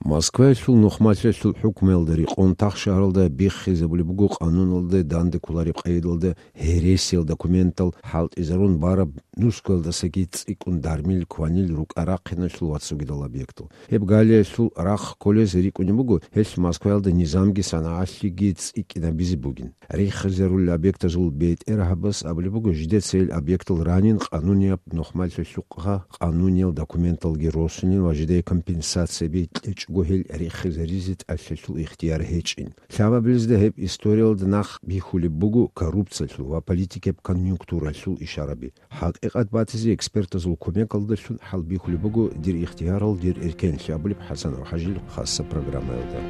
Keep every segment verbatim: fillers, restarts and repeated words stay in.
Москваялъул нухмалъалъул хӀукмуялда рекъон тахшагьаралда биххизабулеб буго къануналда данде кколареб къайдалда гьересиял документал хӀалтӀизарун бараб нусгоялдасаги цӀикӀкӀун дармил, кванил, рукӀа-рахъиналъул ва цогидал объектал. Гьеб галиялъул рахъ кколез рикӀкӀунеб буго, гьелъ Москваялда низамги санагӀалъиги цӀикӀкӀинабизе бугин. Риххизарулел объектазул бетӀергьабаз абулеб буго, жидеца гьел объектал ранин къанунияб нухмалъалъухъа къануниял документалги росунин ва жидее компенсацияби кьечӀого гьел риххизаризе тӀалъалъул ихтияр гьечӀин. Лъабабилезда гьеб историялда нахъ бихьулеб буго коррупциялъул ва политикияб конъюнктуралъул ишараби. ХӀакъикъат батизе экспертазул кумекалдалъун хӀалбихьулеб буго «Дир ихтиярал, дир эркенлъи» абулеб ХӀасанов ХӀажил хасса программаялда.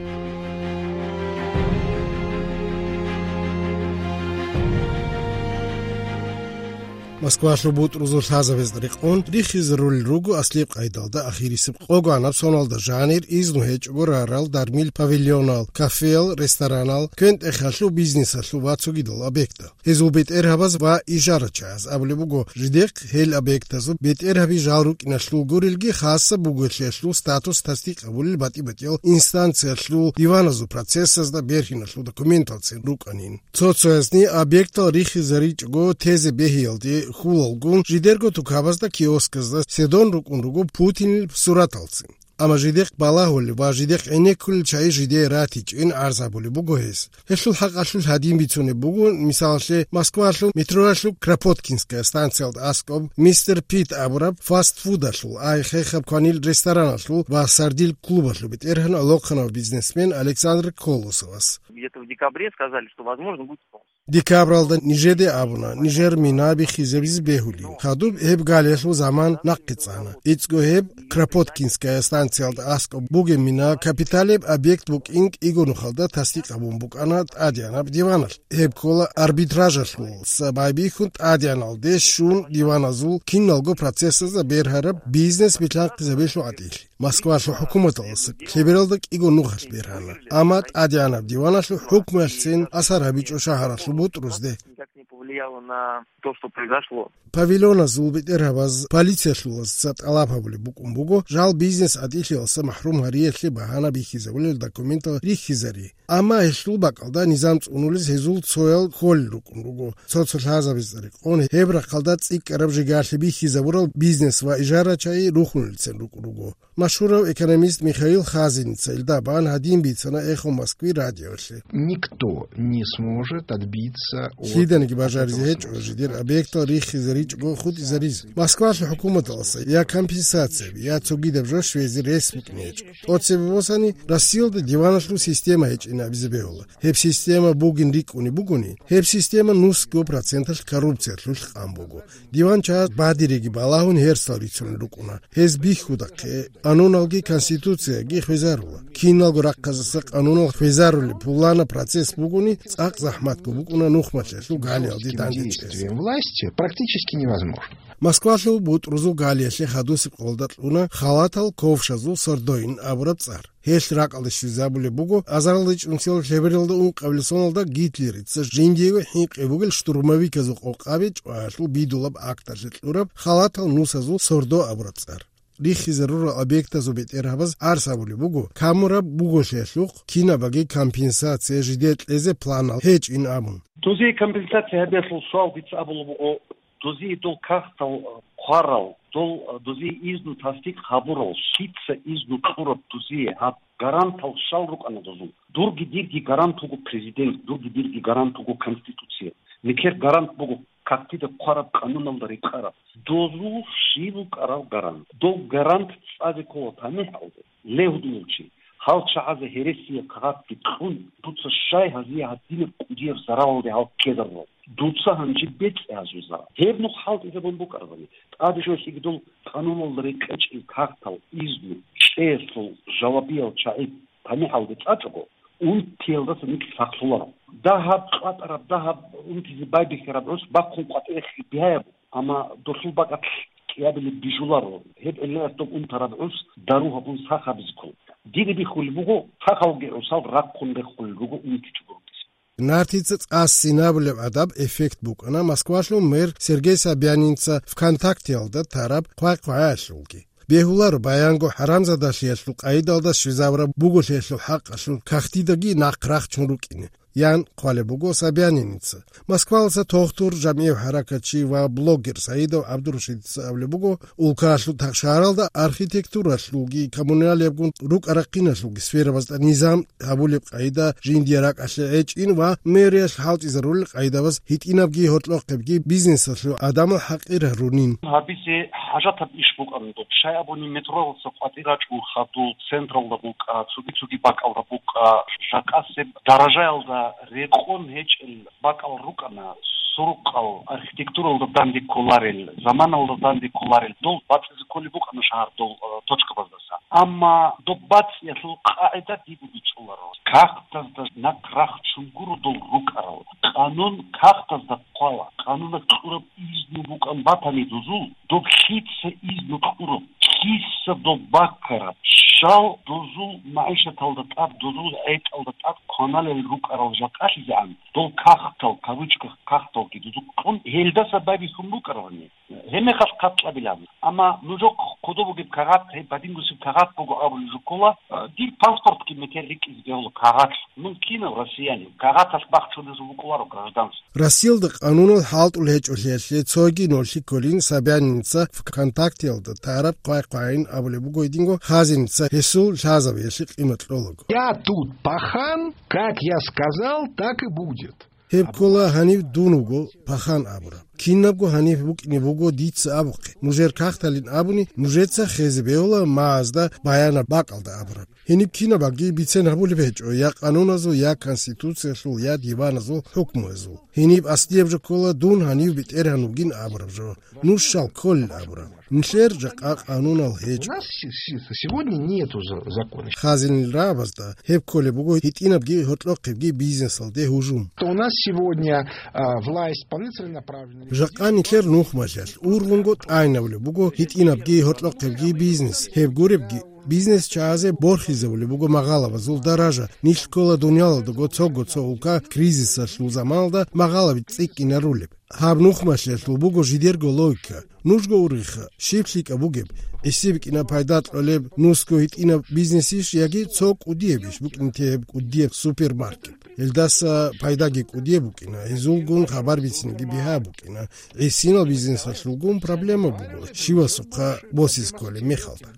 Москвалъул бутӀрузул лъазабазда рекъон риххизарулел руго аслияб къайдалда ахирисеб къогоанаб соналда жанир, изну гьечӀого рарал дармил павильонал, кафеял, ресторанал, квен-тӀехалъул бизнесалъул ва цогидал объектал. Гьезул бетӀергьабаз ва ижарачагӀаз абулеб буго, жидехъ гьел объектазул бетӀергьаби жал рукӀиналъул гурелги, хасса бугелъиялъул статус тасдикъ гьабулел батӀи-батӀиял инстанциялъул диваназул процессазда бергьиналъул документалцин рукӀанин. Цо-цоязни объектал риххизаричӀого тезе бегьиялде хьулалгун, жидерго тукабазда, киосказда седон рукӀун руго Путинил сураталцин. Амма жидехъ балагьулел ва жидехъ гӀенеккулел чагӀи жидее ратичӀин гӀарз гьабулеб буго гьес. Гьелъул хӀакъалъулъ гьадин бицунеб буго, мисалалъе, Москвалъул метроялъул Кропоткинская станциялда аскӀоб Мистер Пит абураб фастфудалъул, ай хехаб кванил рестораналъул ва сардил клубалъул бетӀергьан лохъанав бизнесмен Александр Колосовас. Где-то в декабре сказали, что, возможно, будет снос. Декабралда нижеде абуна, нижер мина биххизабизе бегьулин. Хадуб гьеб галиялъул заман нахъе цӀана. ИцӀго гьеб Кропоткинская станциялда аскӀоб бугеб мина капиталияб объект букӀин кӀиго нухалда тасдикъ гьабун букӀана тӀадегӀанаб диваналъ. Гьеб ккола арбитражалъул, са байбихьун тӀадегӀаналде щун диваназул киналго процессазда бергьараб бизнес билъанхъизабиялъул гӀатӀилъ. Москвалъул хӀукуматалъ лъебералда кӀиго нухалъ бергьана. Амма тӀадегӀанаб диваналъул хӀукмуялъцин асар гьабичӀо шагьаралъул бутӀрузде. Никак не повлияло на то, что произошло. Павильоназул бетӀергьабаз полициялъулазца тӀалаб гьабулеб букӀун буго, жал бизнес гӀатӀилъиялдаса махӀрум гьариялъе багьана бихьизабулел документал риххизари. Амма гьелъул бакӀалда низам цӀунулез гьезул цоял кколел рукӀун руго. Цо-цо лъазабазда рекъон гьеб рахъалда цӀикӀкӀараб жигарлъи бихьизабурал бизнес ва ижарачагӀи рухунелцин рукӀун руго. Машгьурав экономист Михаил Хазиница илда бан гьадин бицана «Эхо Москвы» радиолъе. Никто не сможет отбиться от Лъиданиги бажаризе гьечӀо жидер объектал риххизаричӀого хутӀизаризе. Москвалъул хӀукуматалъа я компенсацияби, я цогидаб жо щвезе рес букӀине гьечӀо. ТӀоцебе босани, Россиялда диваналъул система гьечӀин абизе бегьула. Гьеб система бугин рикӀкӀунеб бугони, гьеб система нусго проценталъ коррупциялъулъ къан буго. Диван чагӀаз бадиреги балагьун гьерсал рицунел рукӀуна. Гьез бихьудахъе, къануналги конституцияги хвезарула. Киналго рахъазаса къанунал хвезарулеб пуланаб процесс бугони, цӀакъ захӀматго букӀуна нухмалъалъул галиялде дандечӀезе. Власти практически невозможно. Москвалъул бутӀрузул галиялъе хадусеб къолда кьуна халатал ковшазул сордоин абураб цӀар. Гьелъ ракӀалде щвезабулеб буго азарилда чӀунсиялда лъебералда ункъабилеб соналда Гитлерица жиндиего хӀинкъи бугел штурмовиказул къокъаби чӀваялъул бидулаб акталъе кьураб халатал нусазул сордо абураб цӀар. Риххизарурал объектазул бетӀергьабаз гӀарз гьабулеб буго, камураб буголъиялъухъ кинабаги компенсация жидее кьезе планал гьечӀин абун. Дозие компенсация гьабиялъул суал дица абулеб буго, дозие дол кагътал хъварал, дол, дозие изну тасдикъ гьабурал, щица изну кьураб дозие гьаб гарантал щал рукӀана дозул? Дурги дирги гарант вуго президент, дурги дирги гарант вуго Конституция. Нилъер гарант буго кагътида хъвараб, къануналда рекъараб. Дозул щиб букӀарал гарант? Дол гарант цӀазе ккола тамихӀалде. Ле гьудулав чи, гьал чагӀазе гьересияб кагъатги кьун, дуца щай гьазие гьадинаб кӀудияб заралалде гьал ккезарурал? Дуца гьанже бецӀе гьазул зарал. Гьеб нух хӀалтӀизабун букӀарабани, тӀаде жо лъиги дол къануналда рекъечӀел кагътал изну кьеялъул жавабиял чагӀи тамихӀалде цӀачӀого, унтиялдаса нилъ сахлъуларо. Дагьаб къватӀараб, дагьаб унтизе байбихьараб гӀус бахъун къватӀире хибигьаяб, амма долъул бакӀалъ кӀиабилеб бижуларо. Гьеб гӀиллаялъ доб унтараб гӀус дару гьабун сах гьабизе ккола. Дида бихьулеб буго, сахалги гӀусал рахъун рехулел руго унтичӀого рукӀизе. Нартица цӀа-ссинабулеб гӀадаб эффект букӀана Москвалъул мэр Сергей Собянинца ВКонтактеялда тараб хъвай-хъваялъулги. Бегьуларо баянго хӀарамзадалъиялъул къайдалда щвезабураб буголъиялъул хӀакъалъулъ кагътидаги нахъ рахчун рукӀине, ян хъвалеб буго Собяниница. Москваласа тогтур жамгӀияв хӀаракатчи ва блогер Саидов ГӀабдурашидица абулеб буго, улкаялъул тахшагьаралда архитектуралъулги коммуналиябгун рукӀа-рахъиналъулги сферабазда низам гьабулеб къайда жиндие ракӀалъе гӀечӀин ва мэриялъ хӀалтӀизарулел къайдабаз гьитӀинабги гьоркьохъебги бизнесалъул гӀадамал хӀакъир гьарунин. Гьабизе хӀажатаб иш букӀана доб. Щай абуни метроласа къватӀир рачӀун хадуб, централда букӀа, цоги-цоги бакӀалда букӀа, жакъасеб даражаялда рекъон гьечӀел бакӀал рукӀана, сурукъал архитектуралда данде кколарел, заманалда данде кколарел, дол бацӀизе кколеб букӀана шагьар дол, э, точкабаздаса. Амма доб бацӀиялъул къагӀида дибу бичӀчӀуларо. Кагътазда нахъ рахчун гуро дол рукӀарал. Къанун кагътазда хъвала. Къануна кьураб изну букӀан батани дозул, доб лъица изну кьураб, лъица доб баккараб, щал дозул магӀишаталда тӀад, дозул гӀетӀалда тӀад кваналел рукӀарал жакъалъизегӀан, дол кагътал, кавычках, кагъталги дозул кьун, гьелдаса байбихьун букӀарабани. Гьеб мехалъ хъат кьабилан. Амма нужехъ кодоб бугеб кагъат, гьеб бадингусеб кагъат буго абулеб жо ккола, а, дир паспортги метер рикӀкӀизе бегьула кагъат. Мун кинав россиянин, кагъаталъ бахчулезул букӀуларо гражданство. Россиялда къанунал хӀалтӀул гьечӀолъиялъе цоги нолъи кколин Собяниница ВКонтактеялда тараб хъвай-хъвайин абулеб буго гьединго хазиница гьесул лъазабиялъе къимат кьолаго. Я тут пахан, как я сказал, так и будет. Гьеб ккола гьанив дун вуго пахан абураб. Кинабго гьанив букӀине буго дица абухъе. Нужер кагъталин абуни, нужеца хезе бегьула магӀазда баянаб бакӀалда абураб. Гьениб кинабги бицен гьабулеб гьечӀо я къануназул, я Конституциялъул, я диваназул хӀукмуязул. Гьениб аслияб жо ккола дун гьанив бетӀергьан вугин абураб жо. Нуж щал кколел абураб. Нилъер жакъа къанунал гьечӀо. У нас се-, се-, сегодня нету за-, закона. Хазинил рагӀабазда гьеб кколеб буго гьитӀинабги гьоркьохъебги бизнесалде гьужум. У нас сегодня, а, власть полноценно направлена. Жакъа нилъер нухмалъалъ ургъунго тӀайнавулеб буго гьитӀинабги гьоркьохъебги бизнес. Гьеб гуребги, бизнес чагӀазе борхизавулеб буго магъалабазул даража, нилъ ккола дуниялалдаго цого цо улка кризисалъул заманалда магъалаби цӀикӀкӀинарулеб. Гьаб нухмалъиялъул буго жидерго логика. Нужго ургъиха, щиб лъикӀаб бугеб, гӀиси бикӀина пайда кьолеб нусго гьитӀинаб бизнесищ яги цо кӀудиябищ букӀин тегьеб кӀудияб супермаркет? Гьелдаса пайдаги кӀудияб букӀина, гьезулгун хабар бицинги бигьа букӀина. ГӀисинал бизнесалъулгун проблема буго, щивасухъа босиз кколеб мехалда.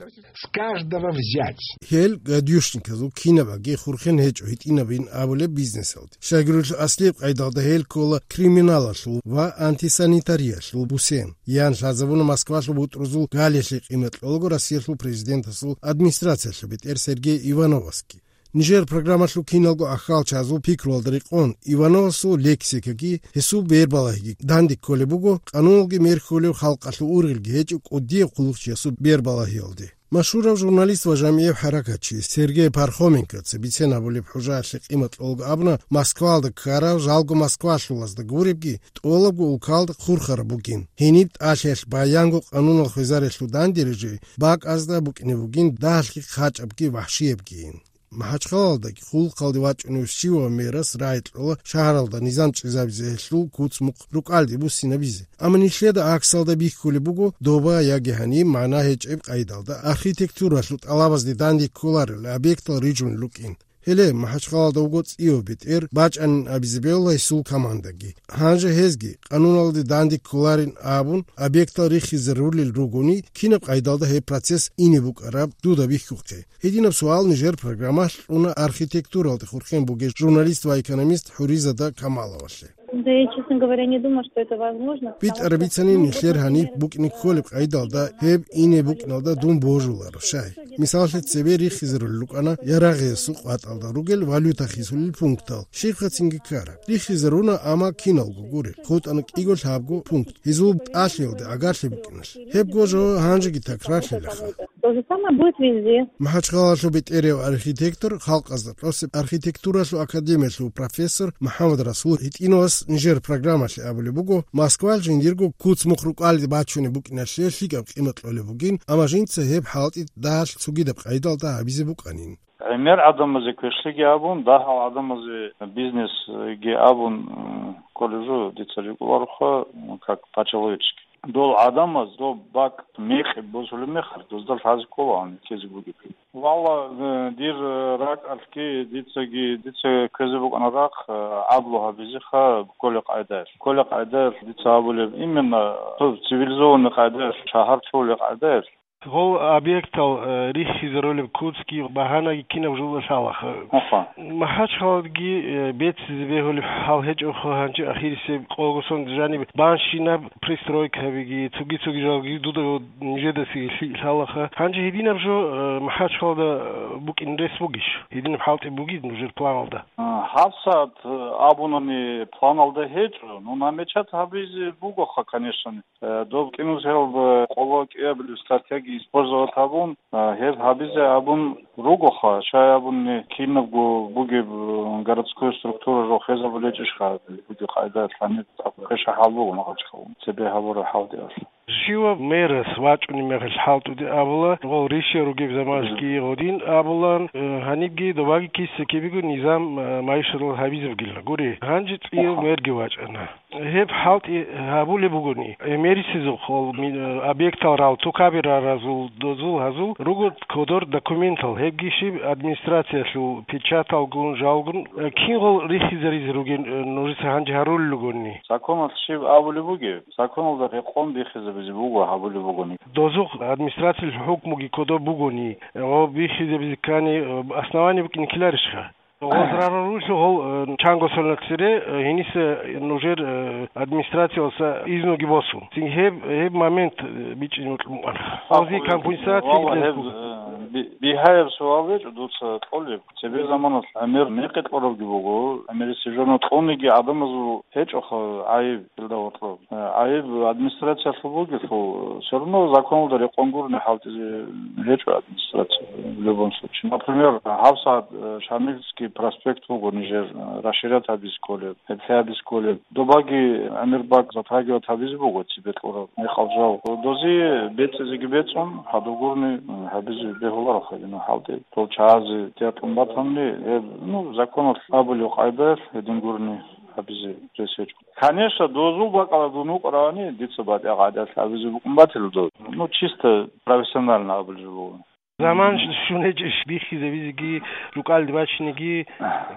С каждого взять. Гьел гадюшниказул кинабаги хурхен гьечӀо гьитӀинабин абулеб бизнесалде. Щайгурелъул аслияб къайдалда гьел ккола криминалалъул ва антисанитариялъул бусен. Ян лъазабуна Москвалъул бутӀрузул галиялъе къимат кьолаго Россиялъул президентасул администрациялъул бетӀер Сергей Ивановасги. Нижер программалъул киналго ахьалчазул пикруялда рекъон Ивановасул лексикаги, гьесул бербалагьиги данде кколеб буго, къануналги мер хьулев халкъалъул ургъелги гьечӀеб кӀудияб хъулухъчиясул бербалагьиялде. Машгьурав журналист ва жамгӀияв хӀаракатчи Сергей Пархоменкоца бицен абулеб хӀужаялъе къимат кьолаго абуна Москвалда ккарав жалго москвалъулазда гуребги, тӀолабго улкалда хурхараб бугин. Гьениб тӀалъиялъ баянго къанунал хвезарелъул данде рижи бакӀазда букӀине бугин дагьалъги хъачӀабги вахӀшиябгийин. МахӀачхъалалдаги хъулухъалде вачӀунев щивав мерас рагӀи кьола шагьаралда низам чӀезабизе гьелъул куц-мухъ рукӀалде буссинабизе. Амма нилъеда гӀаксалда бихьулеб буго доба яги гьаниб магӀна гьечӀеб къайдалда архитектуралъул тӀалабазде данде кколарел объектал рижун рукӀин. Гьеле, МахӀачхъалалда вуго цӀияв бетӀер бачӀанин абизе бегьула гьесул командаги. Гьанже гьезги, къануналде данде кколарин абун, объектал рихизе рулел ругони, кинаб къайдалда гьеб процесс ине букӀараб дуда бихьухъе? Гьединаб суал нижер программалъ кьуна архитектуралде хурхен бугев журналист ва экономист ХӀуризада Камаловалъе. Да я, честно говоря, не думаю, что это возможно, потому что... БитӀараб бицани, нилъер гьаниб букӀине кколеб къайдалда гьеб ине букӀиналда дун божуларо, щай. Мисаллъи, цебе рихизарулел рукӀана ярагъиясул къватӀалда ругел валюта хисулел пунктал, щибхъа цинги ккараб. Рихизаруна, амма киналго гурел, хутӀана кӀиго-лъабго пункт, гьезул тӀалъиялде агарлъи букӀиналъ. Гьебго жо гьанжеги такрарлъилаха. То же самое будет везде. МахӀачхъалалъул бетӀерав архитектор, халкъазда тӀосеб архитектуралъул академиялъул профессор МухӀаммад Расул гьитӀинавас нижер программалъе абулеб буго, Москвалъ жиндирго куц-мухъ рукӀалде бачунеб букӀиналъе лъикӀаб къимат кьолеб бугин, амма жинца гьеб хӀалтӀи дагьалъ цогидаб къайдалда гьабизе букӀанин. ГӀемер гӀадамазе квешлъиги абун, дагьал гӀадамазе бизнесги абун, м, кколеб жо дица рикӀкӀулароха, м, как по-человечески. Дол гӀадамаз доб бакӀ мекъи босулеб мехалъ, дозда лъазе кколагьун ккезе бугеб. Валла, э, дир, э, ракӀалъги, дицаги, дица кквезе букӀана рахъ, э, гӀадлу гьабизеха кколеб къайдаялъ. Кколеб къайдаялъ дица абулеб, именно цо цивилизованный къайдаялъ, шагьар лъугьулеб къайдаялъ. Гъол объектал, э, рихьизарулеб куцги багьанаги кинаб жо лъалаха. Аха. МахӀачхъаладги, э, беццизе бегьулеб хӀал гьечӀоха, гьанже ахирисеб къогосон жаниб банщинаб пристройкабиги, цоги-цоги жалги дуда нижедасе лъи-, лъалаха. Гьанже гьединаб жо, э, МахӀачхъалада, э, букӀин рес бугищ? Гьединаб хӀалтӀи бугищ нужер планалда? А, гьабсагӀат, э, абунани планалда гьечӀо, ну, намечат гьабизе бугоха, конечно. Э, доб кӀинусиялда къоло кӀиабилеб стратегия использовать гьабун, э, гьеб гьабизе абун ругоха, щай абуни кинабго бугеб, э, городской структура жо хвезабулечӀищха, буги къайда лъани, квеша хӀал буго МахӀачхъалда, цебе гьабураб хӀалтӀиялъ. Щивав мэрас вачӀунеб мехалъ хӀалтӀуде абула, гъол ришия ругеб заманалъги гъодин абулан, э, гьанибги добаги киса-кибего низам, э, майшарал гьабизабгилан гури. Гьанже цӀияв Аха. Мерги вачӀана. Гьеб хӀалтӀи гьабулеб бугони, гӀемерисезухъ гьол ми-, объектал рал тукаби раразул дозул гьазул руго кодор документал, гьебги щиб администрациялъул печаталгун, жалгун, э, кин гьол рихизаризе ругин, э, нужеца гьанже гьарулел ругони? Законалъ щиб абулеб бугеб? Законалда рекъон бихизабизе буго гьабулеб бугони. Дозухъ администрациялъул хӀукмуги кодоб бугони, гьоб бихизабизе ккани, э, основание букӀине ккеларищха? Гъозрарулъул гьол, э, чанго соналъ цере, э, гьениса нужер, э, администрациялъа изнуги босун. Цин гьеб, гьеб момент, э, бичӀчӀизе мукьун букӀана. Гъози компенсация Валла, гьеб, э, би-, бигьаяб суал гьечӀо дуца кьолеб. Цебе заманалъ гӀемер мекъи кьурабги буго, гӀемерисеб жо кьуниги гӀадамазул гьечӀоха гӀайиб. Илда гьоркьоб. Э, гӀайиб администрациялъул бугелъул, всё равно законалда рекъон гурони хӀалтӀизе гьечӀо администрация в любом случае. Например, гьабсагӀат, э, Шамильский проспект вуго нижер, э, расширять гьабизе кколеб, гьеб лъай гьабизе кколеб. Добаги гӀемер бакӀ затрагивать гьабизе буго цебе кьураб мекъал жал. Дози бецӀизеги бецӀун, гьадур гурони, э, гьабизе бегьуларо хадина хӀалтӀи. Дол чагӀазе тӀатун батанни, гьеб, ну, законалъ абулеб къайдаялъ гьедин гурони гьабизе рес гьечӀо. Конечно, дозул бакӀалда дун вукӀаравани, дица батӀа-, гӀадат абизе букӀун батила дов. Ну, чисто профессионально абулеб жо буго. Заман ш-, щун гьечӀищ биххизабизеги, рукӀалде бачинеги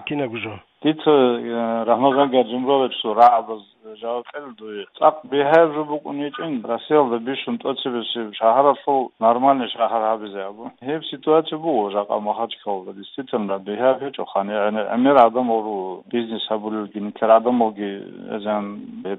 кинабго жо? Дица, э, Рамазан Гаджимурадовичасул рагӀабаз жаваб кьела дуе. ЦӀакъ бигьаяб жо букӀун гьечӀин, Россиялда бищун тӀоцебесеб шагьаралъул нормальный шагьар гьабизе абун. Гьеб ситуация буго жакъа Махачкалалда. Действительно, бигьаяб гьечӀо, хани гӀемер гӀадамал руго бизнес гьабулелги, нилъер гӀадамалги эзан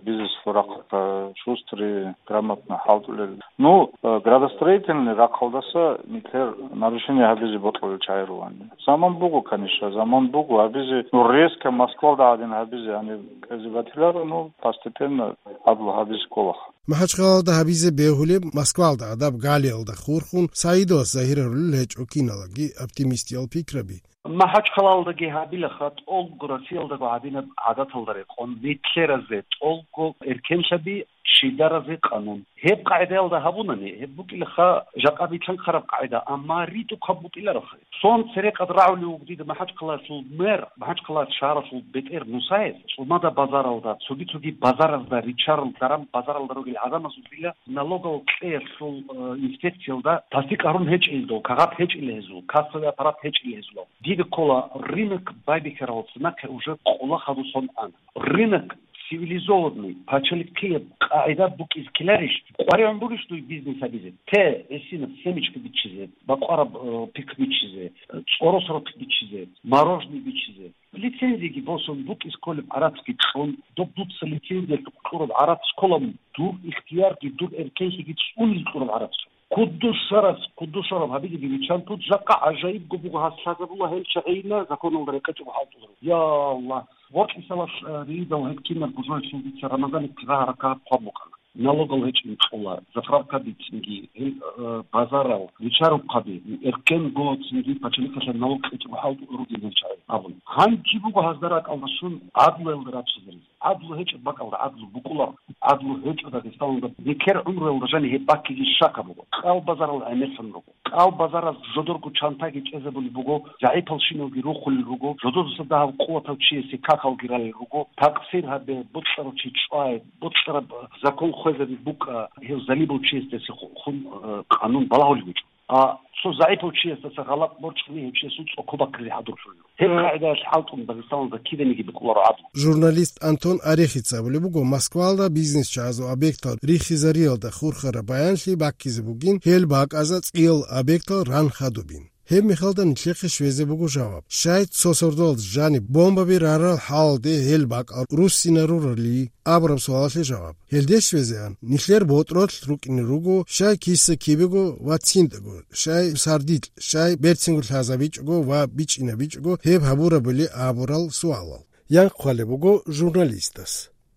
бизнес рахъа шустрый, грамотно хӀалтӀулел. Ну, э, градостроительный рахъалдаса нилъер нарушение гьабизе бокьулел чагӀи ругони. Заман буго, конечно, заман буго гьабизе, ну, резко Москвалда гӀадин гьабизе гьаниб кӀвезе батиларо, ну, постепенно гьадлу гьабизе кколаха. Махачкалалда гьабизе бегьулеб, Москвалда гӀадаб галиялда хурхун, СагӀидовас загьир гьарулел гьечӀо киналаги оптимистиял пикраби. Махачкалалдаги гьабилаха тӀолго Россиялдаго гьабинаб гӀадаталда рекъон, нилъеразе тӀолго эркенлъаби, щидаразе къанун. Гьеб къагӀидаялда гьабунани, гьеб букӀилаха жакъа битӀараб къагӀида, амма ритӀухъаб букӀилароха. Сон церекъад рагӀулев вуго дида МахӀачхъалаялъул мэр, МахӀачхъалаялъ шагьаралъул бетӀер Мусаев, ЦӀумада базаралда, цоги-цоги базаразда, ричарал даран базаралда ругел гӀадамазулила налогал кьеялъул, э, инспекциялда тасдикъ гьарун гьечӀел дов, кагъат гьечӀел гьезул, кассовый аппарат гьечӀел гьезул. Дида ккола, рынок байбихьарал цинахъе уже къулахъаду сон ана. Рынок цивилизованный, пачалихъияб къагӀида букӀиз ккеларищ, къваригӀун бурищ дуй бизнес гьабизе? Те, гӀисинаб семечка биччизе, бакъвараб, э, пихъ биччизе, э, цӀоросрохъ биччизе, мороженое биччизе. Лицензияги босун букӀиз кколеб гӀарац кьун, доб дуца лицензиялъухъ кьураб гӀарац ккола, дур ихтиярги, дур эркенлъиги цӀунизе кьураб гӀарац. Куддушарас, куддушараб гьабизеги биччан тут, жакъа гӀажаибго буго гьас лъазабула гьел чагӀийилан законалда рекъечӀого хӀалтӀуларо. Я Аллагь! Гъоркьисалас, э, ридал гьеб кинаб бужарщинзица Рамазанихъе гьаракат хъван букӀана. Налогал гьечӀин кьола, заправка бицинги, гьел, э, базарал, ричарухъаби, эркенго цинги пачалихъалъе налог кьечӀого хӀалтӀуларо гьел чагӀи абун. Гьанже буго гьазда ракӀалда щун гӀадлуялда раччазаризе. ГӀадлу гьечӀеб бакӀалда гӀадлу букӀуларо. гӀадлу гьечӀо Дагъистаналда. Нилъер гӀумруялда жаниб гьеб баккиги щакаб буго. Кьал базарал гӀемерлъун руго. Кьал базараз жодорго чантаги чӀезабулеб буго, загӀипал щинавги рухулел руго, жодораса дагьав къуватав чиясе какалги ралел руго, такъсир гьабе, бокьарав чи чӀвай, бокьараб закон хвезаби букӀа, гьев залибав чиясдаса ху-, хун, э, къанун балагьулеб гьечӀо. А цо загӀипав чиясдаса гъалатӀ борчӀани гьев чиясул цӀоко баккизе хӀадурлъулел. Гьеб къагӀидаялъ хӀалтӀун Дагъистаналда киданиги букӀуларо гӀадлу. Журналист Антон Арехица абулеб буго Москваялда бизнесчагӀазул объектал рихизариялда хурхараб баянлъи баккизе бугин, гьел бакӀазда цӀиял объектал ран хадубин. Гьеб мехалда нилъехъе щвезе буго жаваб. Щай цо сордоялда жаниб бомбаби рарал хӀалалде гьел бакӀал руссинарурали абураб суалалъе жаваб. Гьелде щвезегӀан, нилъер ботӀролъ рукӀине руго, щай киса-кибего ва циндаго, щай сардилъ, щай берцинго лъазабичӀого ва бичӀчӀинабичӀого гьеб гьабурабали абурал суалал. Янхъ хъвалеб буго журналистас.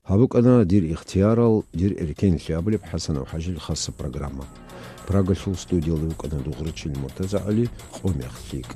Гьаб букӀана дир ихтиярал, дир эркенлъи абулеб ХӀасанов ХӀажил хасаб программа. Прагалъул студиялда вукӀана Дугърачил МуртазагӀали, къо мех лъикӀ.